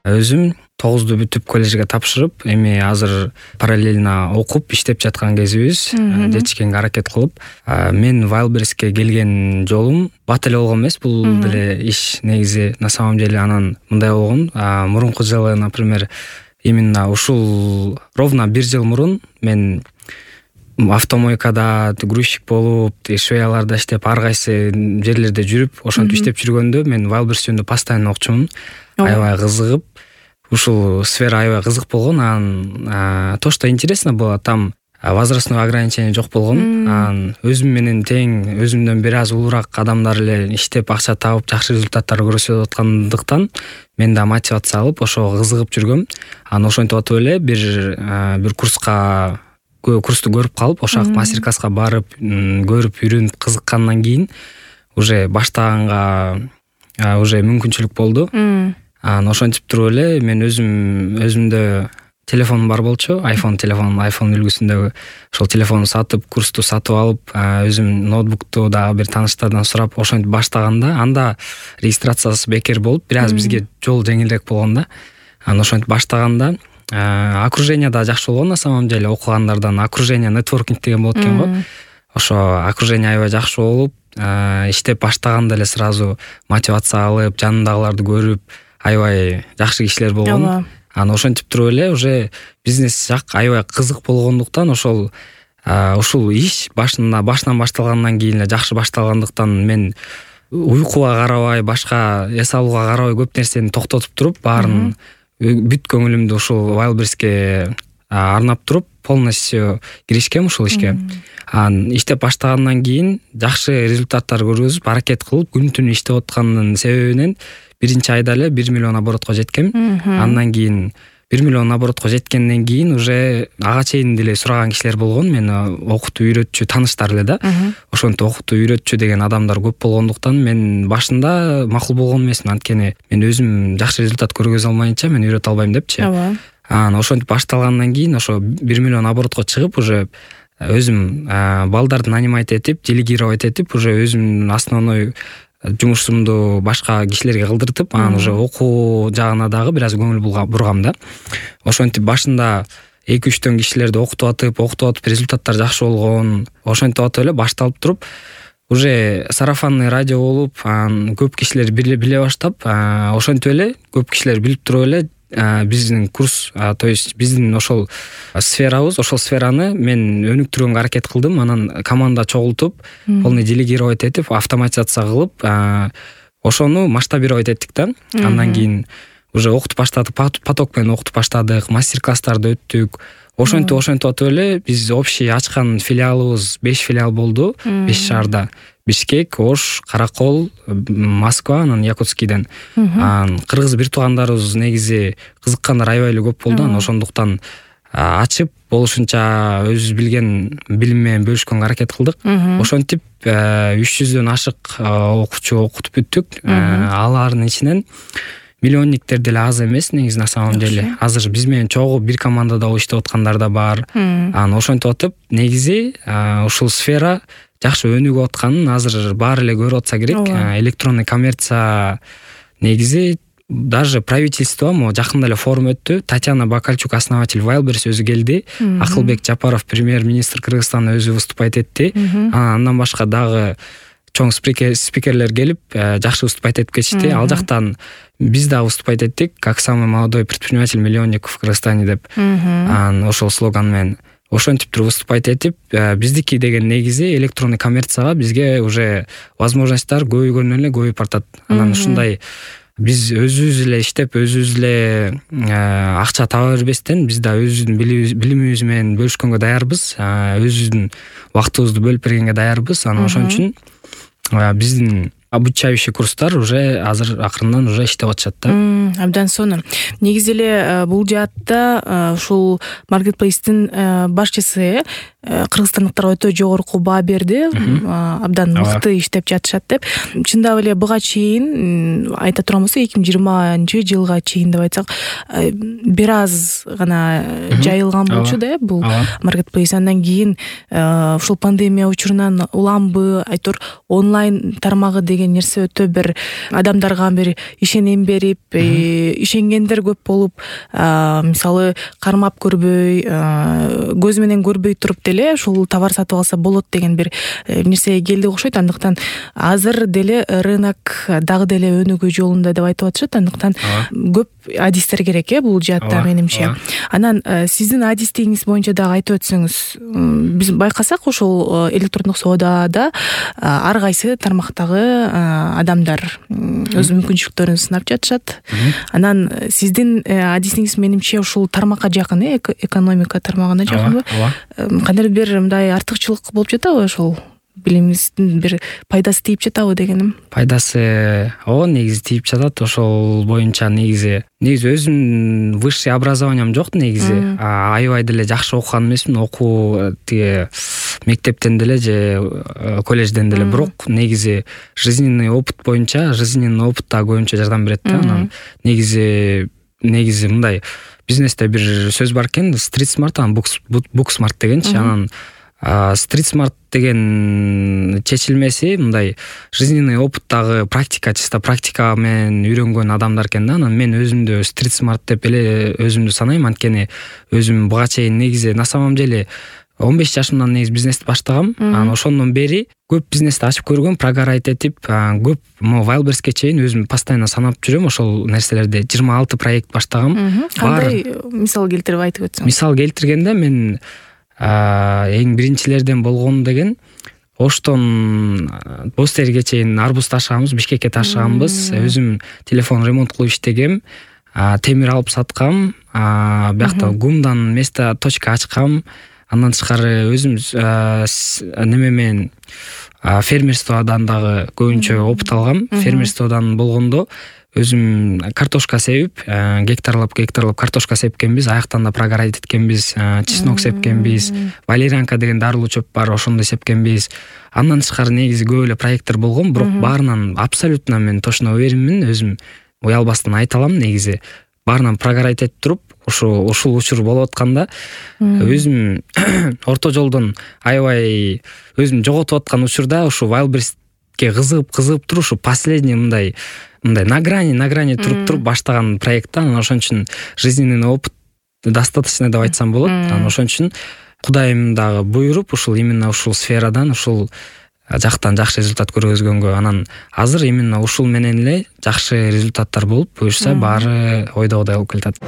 Өзүм 9-ду бүтүп коллежге тапшырып, эми азыр параллельно окуп иштеп жаткан кезибиз. Жетишкенге аракет кылып, мен Wildberriesке келген жолум бат эле болгон эмес. Бул деле иш негизи на самом деле анан мындай болгон. Мурунку жылы, например, именно ушул ровно 1 жыл мурун мен автомойкада грузчик болуп, швеяларда иштеп, ар кайсы жерлерде жүрүп, ошентип иштеп жүргөндө мен Wildberries жөнүндө постоянно окчумун. Аябай кызыгып, ушул сфера аябай кызык болгон. Анан то, что интересно было, там возрастное ограничение жок болгон. Анан өзүм менен тең, өзүмдөн бир аз улуураак адамдар эле иштеп, акча табып, жакшы результаттар көрсөтүп аткандыктан мен да мотивация алып, ошого кызыгып жүргөм. Анан ошентип атып эле бир курсту көрүп калып, ошол мастер-класска барып, көрүп, үйрөнүп кызыккандан кийин уже баштаганга уже мүмкүнчүлүк болду. Анан ошентип туруп эле мен өзүмдө телефонум бар болчу, iPhone үлгүсүндөгү ошол телефонду сатып, курсту сатып алып, өзүм ноутбукту дагы бир тааныштардан сурап ошентип баштаганда, анда регистрациясы бекер болуп, бир аз бизге жол жеңилирээк болгон да. Анан ошентип баштаганда окружение да жакшы болгон, на самом деле окугандардан окружение нетворкинг деген болот экен го. Ошо окружение аябай жакшы болуп, иштеп баштаганда эле сразу мотивация алып, жанымдагыларды көрүп, аябай жакшы кишилер болгон. Анан ошентип туруп эле уже бизнес жак аябай кызык болгондуктан ушул иш башынан башталгандан кийин эле жакшы башталгандыктан мен уйкуга карабай, башка эс алууга карабай көп нерсени токтотуп туруп, баарын бүт көңүлүмдү ушул Wildberriesке арнап туруп, полностью киришкем ушул ишке. Анан иштеп баштагандан кийин жакшы результаттар көргөзүп, аракет кылып, күн-түн иштеп аткандын себебинен биринчи айда эле 1 миллион оборотко жеткем. Андан кийин 1 миллион оборотко жеткенден кийин уже ага чейин деле сураган кишилер болгон. Мени окутуу үйрөтчү тааныштар эле да. Ошентип окутуу үйрөтчү деген адамдар көп болгондуктан мен башында макул болгон эмесмин. Анткени мен өзүм жакшы результат көргөзө алмайынча мен үйрөтө албайм депчи. Анан ошентип башталгандан кийин ошо 1 миллион оборотко чыгып, уже өзүм балдарды нанимать этип, делегировать этип, уже өзүмдүн основной жумушумду башка кишилерге кылдыртып, анан уже окуу жагына дагы бир аз көңүл бургам да. Ошентип башында 2-3 кишилерди окутуп атып, результаттар жакшы болгон. Ошентип атып эле башталып туруп, уже сарафанный радио болуп, көп кишилер биле баштап, ошентип эле көп кишилер билип туруп эле биздин курс, то есть биздин ошол сферабыз, ошол сфераны мен өнүктүргөнгө аракет кылдым. Анан команда чогултуп, полный делегировать этип, автоматизация кылып, ошону масштабировать эттик да. Андан кийин уже окутуп баштадык, поток менен окутуп баштадык, мастер-класстарды өттүк. Ошентип атып эле биз общий ачкан филиалыбыз 5 филиал болду, 5 шаарда. Бишкек, Ош, Каракол, Москва, анан Якутскийден. Кыргыз бир туугандарыбыз негизи кызыккандар аябай эле көп болду. Анан ошондуктан ачып, болушунча өзүбүз билген билим менен бөлүшкөнгө аракет кылдык. Ошентип 300дөн ашык окуучу окутуп бүттүк. Алардын ичинен миллионниктер деле аз эмес негизи, на самом деле. Азыр биз менен чогуу бир командада иштеп аткандар да бар. Анан ошентип атып, негизи ушул сфера жакшы өнүгүп атканын азыр баары эле көрүп атса керек. Электронный коммерция негизи даже правительство жакында эле форум өттү. Татьяна Бакальчук, основатель Wildberries, өзү келди. Акылбек Жапаров, премьер-министр Кыргызстанда, өзү выступать этти. Андан башка дагы чоң спикерлер келип, жакшы выступать этип кетишти. Ал жактан биз да выступать эттик, как самый молодой предприниматель-миллионник в Кыргызстане деп. Ошол слоган менен ошентип туруп выступать этип, биздики деген негизи электронный коммерцияга бизге уже возможностьтар көбөйгөндөн эле көбөйүп бартат. Анан ушундай биз өзүбүз эле иштеп, өзүбүз эле акча таба бербестен, биз да өзүбүздүн билимибиз менен бөлүшкөнгө даярбыз, өзүбүздүн убактыбызды бөлүп бергенге даярбыз. Анан ошон үчүн биздин обучающий курстар уже азыр акырындан уже иштеп атышат да. Абдан сонун. Негизи эле бул жаатта ушул маркетплейстин башчысы кыргызстандыктарга өтө жогорку баа берди. Абдан мыкты иштеп жатышат деп. Чындап эле буга чейин айта турган болсок, 2020-жылга чейин деп айтсак, бир аз гана жайылган болчу да бул маркетплейс. Андан кийин ушул пандемия учурунан уламбы, айтор онлайн тармагы деген деген нерсе өтө бир адамдарга бир ишенем берип, ишенгендер көп болуп, мисалы кармап көрбөй, көз менен көрбөй туруп деле ушул товар сатып алса болот деген бир нерсеге келди окшойт. Андыктан азыр деле рынок дагы деле өнүгүү жолунда деп айтып атышат. Андыктан көп адистер керек бул жаатта менимче. Анан сиздин адистигиңиз боюнча дагы айтып өтсөңүз, биз байкасак ушул электрондук соодада ар кайсы тармактагы адамдар өз мүмкүнчүлүктөрүн сынап жатышат. Анан сиздин адистигиңиз менимче ушул тармакка жакын, экономика тармагына жакынбы? Кандайдыр бир мындай артыкчылык болуп жатабы ошол? Билимиңиздин бир пайдасы тийип жатабы дегеним. Пайдасы негизи тийип жатат. Ошол боюнча негизи өзүмдүн высший образованием жок негизи. Аябай деле жакшы окуган эмесмин, окуу тиги мектептен деле же колледжден деле, бирок негизи жизненный опыт боюнча, жизненный опыт да көбүнчө жардам берет да. Анан негизи мындай бизнесте бир сөз бар экен, street smart, анан book smart дегенчи. Анан street smart деген чечилмеси мындай жизненный опыттагы практика, чисто практика менен үйрөнгөн адамдар экен да. Анан мен өзүмдү street smart деп эле өзүмдү санайм, анткени өзүм буга чейин негизи на самом деле 15 жашымдан негизи бизнести баштагам. Анан ошондон бери көп бизнести ачып көргөм, прогорать этип, көп Wildberriesке чейин өзүм постоянно санап жүрөм ошол нерселерди. 26 проект баштагам. Кандай мисал келтирип айтып өтсөң? Мисал келтиргенде мен эң биринчилерден болгон деген Оштон Бостерге чейин арбуз ташыганбыз, Бишкекке ташыганбыз. Өзүм телефон ремонт кылып иштегем, темир алып саткам, биякта гумдан место точка ачкам. Андан тышкары өзүм неме менен фермерстводан дагы көбүнчө опыт алгам. Фермерстводан болгондо өзүм картошка себип, гектарлап картошка сепкенбиз, аяктан да прогорать эткенбиз, чеснок сепкенбиз, валерьянка деген дарылуу чөп бар, ошондо сепкенбиз. Андан тышкары негизи көп эле проекттер болгон, бирок баарынан абсолютно мен точно уверенмин, өзүм уялбастан айта алам. Негизи баарынан прогорать этип туруп, ушул учур болуп атканда өзүм орто жолдон аябай өзүм жоготуп аткан учурда ушу Wildberriesке кызыгып туруп, ушу последний мындай на грани туруп баштаган проект. Анан ошон үчүн жизненный опыт достаточно деп айтсам болот. Анан ошон үчүн Кудайым дагы буйруп, ушул именно ушул сферадан, ушул жактан жакшы результат көргөзгөнгө, анан азыр именно ушул менен эле жакшы результаттар болуп, буюрса баары ойдогудай болуп келатат.